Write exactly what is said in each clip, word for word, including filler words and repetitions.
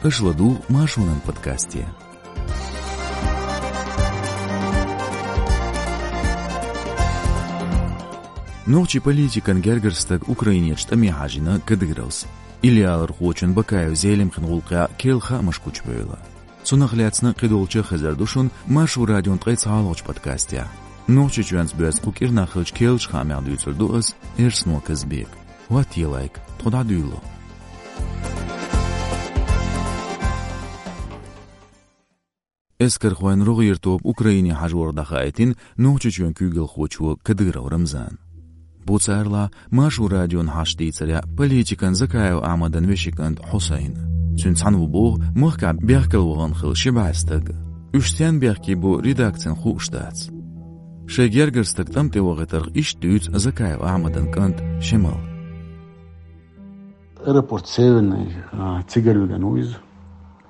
Аша ладугӀу Маршонан подкасте. Нохчийн политикан гергара стаг Украинерчу тӀаме хьажийна Кадыровс. Иллиалархочун Бакаев Зелимхин гӀуллакхехь керла хаамаш кучубевлла. Цунах лаьцна кхидолчу хезар ду шуна Маршо радион ткъе цхьалгӀачу подкастехь. Нохчийчоьнца боьзна кху кӀирнах хиллачу керлачу хаамех дуьйцур ду ас, Эрсно Казбек. ХӀоттае лайк, тхо дӀадуьйло. Эскархойн рогӀера тоба Украине хьажорах дӀахаийтина Нохчийчоьнан куьйгалхочо Кадыров Рамзана. Бу царла Маршо радион хьаштдийцарехь политикан Закаев Ахьмадан вешин кӀант Хьусайн. Цуьнца цхьаьна ву боху махкахь бехкала вахана хилла ши бӀе стаг. Уьш стенна бехке бу редакцина хууш дац. Шайн гергара стаг тӀам тӀе вахийтарх иштта дуьйцу Закаев Ахьмадан кӀанта Шемала. Аэропорт Северный, а, цигара вигна ву иза.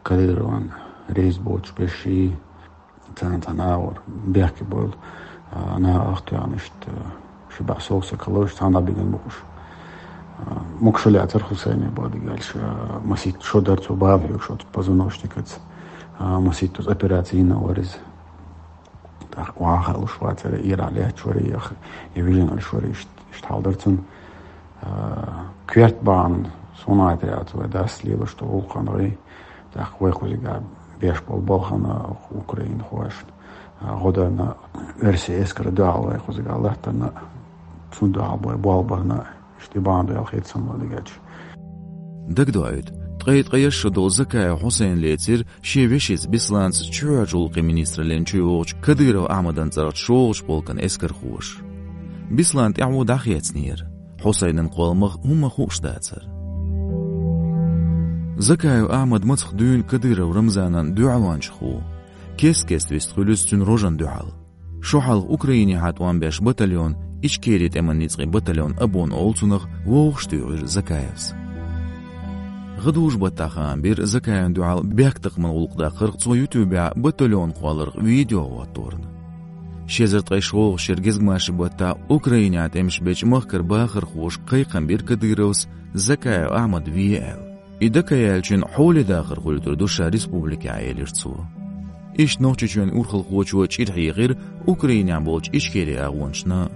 Кадыровн рейс боцуш берш, царна цхьаьна агӀор бехке бевлла, а, нахах тоьхна иштта, ши бӀе сов стаг хилла, цхьаьна бигна бу уьш. А, могуш лаьцара Хьусайне бохург аьлча, а, масийтта шо дара цо, бала хьоьгуш оцу позвоночникаца, а, масийтта оцу операци йина вара иза. ТӀаккха охьахаалуш вацара, ирахь лаьтташ вара, я, я вижина Ӏуьллуш вара, иштта, иштта хьал дара цуьнан. А, коьрта бахьана суна гӀайта яц вай дас лелош долу гӀуллакхана гӀий. ТӀаккха вай кхузахь беш болу балхана Украинхошна, а, гӀо дарна, оьрсийн эскарна дуьхьал вай кхузахь латтарна, цунна дуьхьал вай болх барна, иштта и бахьана ду аьлла хета суна вай дагахь. Дагадоуьйту, ткъе ткъе исс шо долу Закаев Хьусайн лецира шен вешица Бесланца чоьхьарчу гӀуллакхийн министраллин чу йогӀучу Кадыров Ахьмадан цӀарахчу шолгӀачу полкан эскархоша. Беслан тӀаьхьо дӀахецнера, Хьусайнан кхолламах хӀумма хууш дацара. Закаев Ахьмад мацах дуьйна Кадыров Рамзанан дуьхьалончах ву. Кест-кеста вист хуьлу иза цуьнан рожана дуьхьал. Шо хьалха Украинехьа тӀом беш батальон, Ичкерин тӀеман ницкъийн батальон «Абон» олу цунах, вовшахтуьйхира Закаевс. ГӀадужу-баттахь хаам бира Закаевна дуьхьал бехктакхаман гӀуллакх даккхарх цо ютубехь батальон кхолларх видео хӀотторна. Ши эзар ткъе шолгӀачу шеран гезгмашин баттахь Украинехь тӀемаш бечу махкара бахархоша кхайкхам бира Кадыровс Закаев Ахьмад ве аьлла. И дакаяьллачун хьоле дахар хуьлуьйтур ду ша республикехь, элира цо. Иштта Нохчийчоьнан урхалхочо чӀир хьехира Украинехь болчу Ичкерин агӀончашна.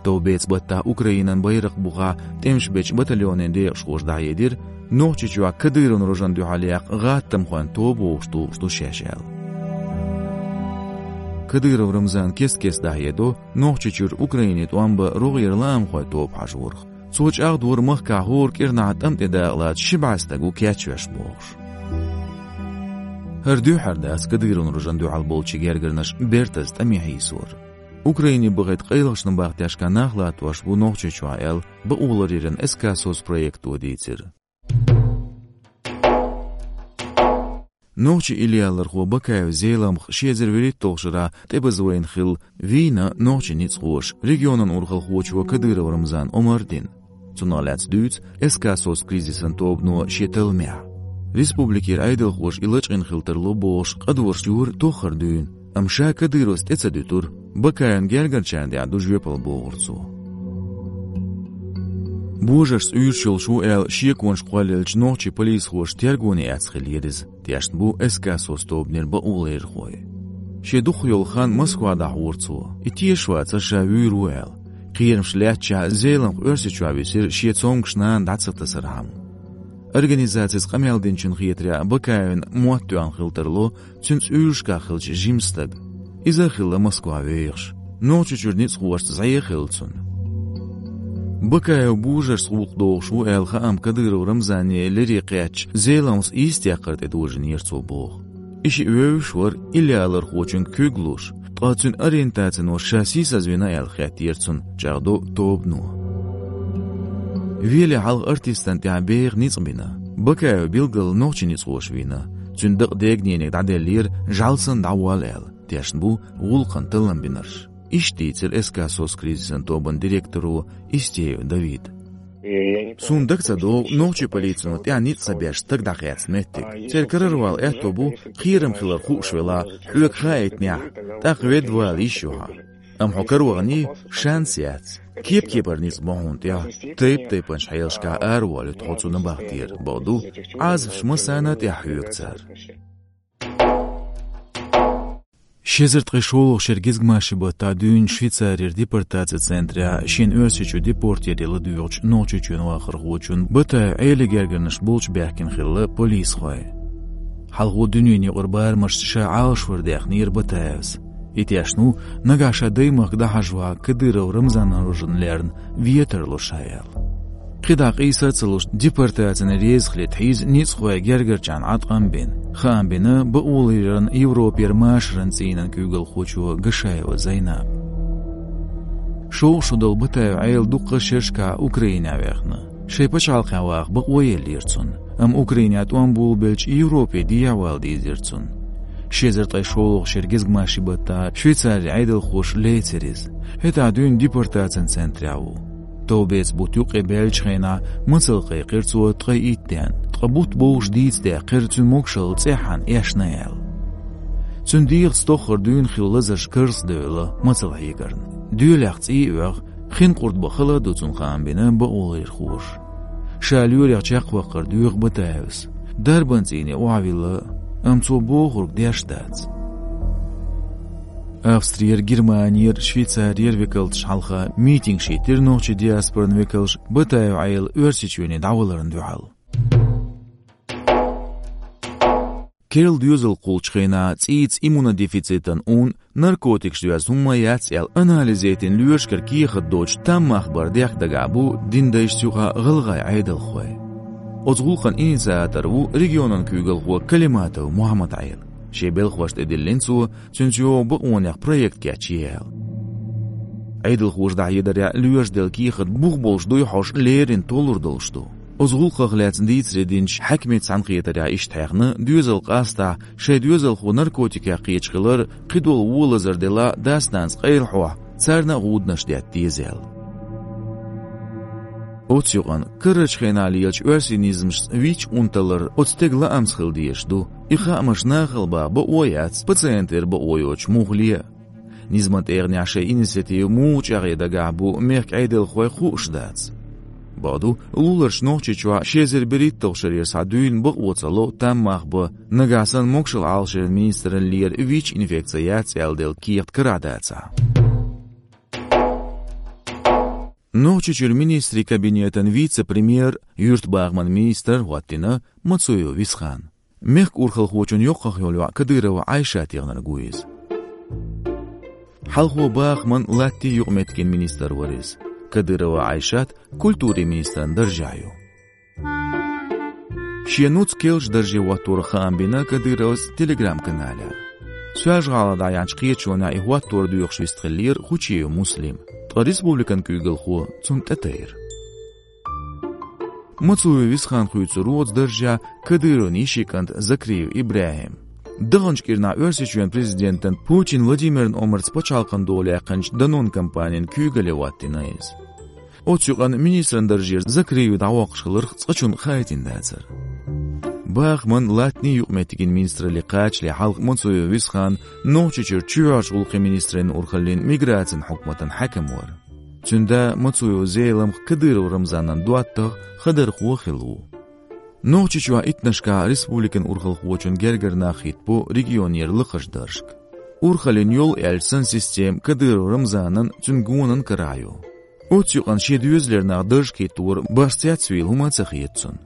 Товбеца-баттахь Украинан байракх бухахь тӀемаш бечу батальонийн декъашхоша дӀахьедира, Нохчийчохь Кадыровн рожана дуьхьал яккха гӀаттамхойн тоба вовшахтухуш ду шаьш аьлла. Кадыров Рамзана кест-кеста дӀахьедо Нохчийчуьра Украине тӀом бан рогӀера лаамхойн тоба хьажорах. Цо чӀагӀдора махкахь хӀора кӀирнахь тӀам тӀе дакъалаца ши бӀе стаг ву кечвеш бохуш. ХӀара дуьххьара дац Кадыровн рожана дуьхьал болчийн гергарнаш бертаза тӀаме хьийсор. Украине бахийта къайлахчун бахтешка нах латтош бу Нохчийчохь аьлла, бакъоларъяран СК «СОС» проекто дийцира. Нохчийн иллиалархо Бакаев Зеламха ши эзар вуьрхӀитталгӀачу шарахь тӀебаза вайна хилла вийна нохчийн ницкъахоша регионан урхалхочо Кадыров Рамзана омра дина. Цунах лаьцна дуьйцу СК «СОС» кризисан тобано шен талламехь. Республикера Ӏедалхоша и лачкъийна хила тарло бохуш къадораш йора тоххара дуьйна, амма ша Кадыровс тӀе ца дуьтура, Бакаевн гергарчарна тӀехь ду жоьпалла, бохура цо. Божаршца уьйраш йолуш ву аьлла шеконаш кхоллаелча, нохчийн полисхоша тергоне эцна хиллера иза, тешна бу СК «СОС» тобанера бакъоларъярхой. Шен дукхах йолу хан Москва дӀахьора цо, и тешаш вацара ша вуьйр ву аьлла. Кхерамаш лаьттачохь Зеламха Оьрсийчохь висира шен цомгуш нана дӀа ца тасархьама. Организацица къамел динчун хетарехь, Бакаевн мотт тоьхна хила тарло цуьнца уьйрашкахь хиллачу жимачу стага. Иза а хилла Москва вехаш. Нохчийчуьра ницкъахошца зӀе а хилла цунна. Бакаев божаршца гӀуллакх дохуш ву аьлла хаам Кадыров Рамзане лерина кхаьчча, Зеламхас йистехкар тӀе дожийнера цо боху. И шиъ вевзаш вара иллиалархочун куьг луш, ткъа цуьнан ориентацино ша сийсазвина аьлла хеттера цунна, чӀагӀдо тобано. Веле хьалха артистана тӀехь беха ницкъ бина. Бакаев билггал нохчийн ницкъахоша вийна. Цуьнан дакъа дегнениг дӀаделлера, жӀаьла санна дӀаволла аьлла, тешна бу гӀуллакхана таллам бинарш. Иштта дийцира СК «СОС» кризисан тобанан директоро Истеев Давида. Суна дага ца догӀу нохчийн полицино тӀехь ницкъ ца беш стаг дӀакхаьчна меттиг. Церан карара вала аьтто бу, кхерам хилар хууш велахь, хьоьга хаийтинехь, тӀаккха ведда вала йиш ю хьан. Амма хьо караваханий, шанс яц. Кеп-кепара ницкъ бу хьуна тӀехь, тайп-тайпанчу хьелашкахь араволуьйту хьо цу набахтера, боху ду, Ӏазапаш массарна а тӀехь хьоьгу цара. Ши эзар ткъе шолгӀачу шеран гезгмашин баттахь дуьйна Швейцарера депортацин центрехь шена Оьрсийчу депорт яре ладоьгӀучу Нохчийчоьнан вахархочун Батаев Ӏелин гергарнаш болчу баьхкина хилла полисхой. Хьалхо дуьненан юкъара барамашца ша Ӏалашвар даьхнера Батаевс. И тешна ву, нагахь ша даймахка дӀахьажахь Кадыров Рамзанан рожана лерна вен тарло ша аьлла. КхидӀа къийса а ца луш, депортацина реза хилийта хьийза ницкъахойн гергарчарна Ӏаткъам бина. Хаам бина бакъоларъяран Европера машаран цӀийнан куьйгалхочо Гашаева Зайнапа. Шовзткъа шо долу Батаев Ӏела дуккха а шерашкахь Украинехь ваьхна. Шайн пачхьалкхехь ваха бакъо еллера цунна, амма Украинехь тӀом болабелча Европе дехьавала дийзира цунна. Ши эзар ткъе шолгӀачу шеран гезгмашин баттахь Швейцарин Ӏедалхоша лецира иза. ХӀетахь дуьйна депортацин центрехь ву. Товбеца бутт юккъе баьллачу хенахь мацалла кхайкхира цо ткъе итт денна, ткъа бутт бовш дийца даьккхира цуьнан могушалла цӀеххьана эшна аьлла. Цуьнан дегӀаца тоххара дуьйна хилла лазарш карзахдевлла мацалла хьегарна. Доьлех цӀий а оьху, хин къурд бан хала а ду цунна, хаам бина бакъоларъярхоша. Ша лоьрех чекхваккхар доьху Батаевс. Дарбан цӀийне охьавилла, амма цо бохург деш дац. Австрера, Германера, Швейцарера векалташ хьалха митингаш йиттира нохчийн диаспоран векалша Батаев Ӏела Оьрсийчоьне дӀаваларна дуьхьал. Керла доьзал кхуллучу хенахь цӀийца иммунодефицитан ун, наркотикаш доьзна хӀумма яц аьлла анализ яйтина лоьрашкара кехат доцуш там мах бар дехка дагахь бу динан дайшца юкъахь гӀалгӀайн Ӏедалхой. Оцу гӀуллакхан инициатор ву регионан куьйгалхо Калиматов Мухьаммад-Ӏела. Шен белхалошна тӀедиллина цо, цуьнца йогӀу бакъонех проект кечъе аьлла. Ӏедалхоша дӀахьедарехь, лоьраша делла кехат бух болуш дуй хьожуш леррина толлур долуш ду. Оцу гӀуллакхах лаьцна дийцаре динчу хьаькамийн цхьаьнакхетарехь иштта хьехна, доьзал къаьстахь шайн доьзалхо наркотикех кхеташ хилар, кхидолу вон лазар делахь а, дас-нанас къайлахьохь, царна а гӀуданаш детта деза аьлла. Оцу юкъана, карарчу хенахь лелачу оьрсийн низамашца вича ун таллар оцу стеган лаамца хила дезаш ду. И хаамаш нахала бан бакъо яц, пациентера бакъо йоцуш муха ле а. Низаман тӀегӀанехь шайн инициатива муха чӀагӀъе дагахь бу мехкан Ӏедалхойн хууш дац. Бакъду, луларчу Нохчийчохь ши эзар берхӀитталгӀачу шарера схьа дуьйна бакъо ца ло там мах бан, нагахь санна могушалла Ӏалашъяран министраллера ВИЧ-инфекци яц аьлла делла кехат карахь дацахь. Нохчийчуьра министрийн кабинетан вице-премьер, юьртабахаман министр хӀоттийна Мацуев Висхан. Мехкан урхалхочун йоккхах йолу йоӀ Кадырова Ӏайшат яхнарг ву иза. Хьалхо бахаман, латтийн юкъаметтигийн министр вара иза. Кадырова Ӏайшат культурин министран даржехь ю. Шен нуц керлачу дарже хӀотторах хаам бина Кадыровс Telegram-каналехь. Соьлжа-ГӀалахь дӀаяьхьначу кхеташонехь и хӀоттор доьхуш вистхиллера Хучиев Муслим, ткъа республикан куьйгалхо цунна тӀетайра. Мацуев Висхан хуьйцура вон оцу даржехь Кадыровн йишин кӀант Закриев ИбрахӀим. Даханчу кӀирнахь Оьрсийчоьнан президентан Путин Владимиран омарца пачхьалкхан дола яьккхинчу Данон компанин куьйгалле хӀоттийна иза. Оцу юкъана министран даржера Закриев дӀавоккхуш хиларх цкъачунна хаийтина дацара. Бахаман, латтийн юкъаметтигийн министралле кхачале хьалха Мацуев Висхан Нохчийчуьра чоьхьарчу гӀуллакхийн министраллин урхаллин миграцин хьукматан хьаькам вара. Цуьнан да Мацуев Зелимха Кадыров Рамзанан доттагӀа, хадархо а хилла ву. Нохчийчохь иттаннашкахь республикан урхалхочун гергара нах хӀиттабо регионера лакхарчу даржашка. Урхаллин йолу аьлча санна система Кадыров Рамзанан, цуьнан гонан карахь ю. Оцу юкъана шен доьзалера нах даржашка хӀиттор башха цецвийла хӀума а ца хета цунна.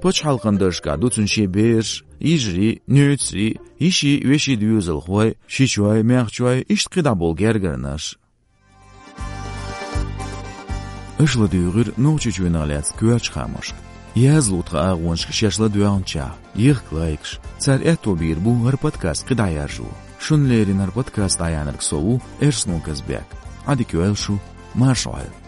Пачхьалкхан даржашкахь ду цуьнан шен бераш, йижарий, нуьйцарий, йиший, веший, доьзалхой, шичой, маьхчой, иштта кхидӀа болу гергарнаш. Аша ладуьйгӀира Нохчийчоьнах лаьцна коьртачу хаамашка. Язло тхан агӀонашка шаьш ладоьгӀначохь, ехка лайкаш, цара аьтто бийр бу хӀара подкаст кхидӀа яржо. Шуна леррина хӀара подкаст дӀаяьхьнарг со ву, Эрсно Казбек. Ӏадика йойла шу, марша Ӏойла.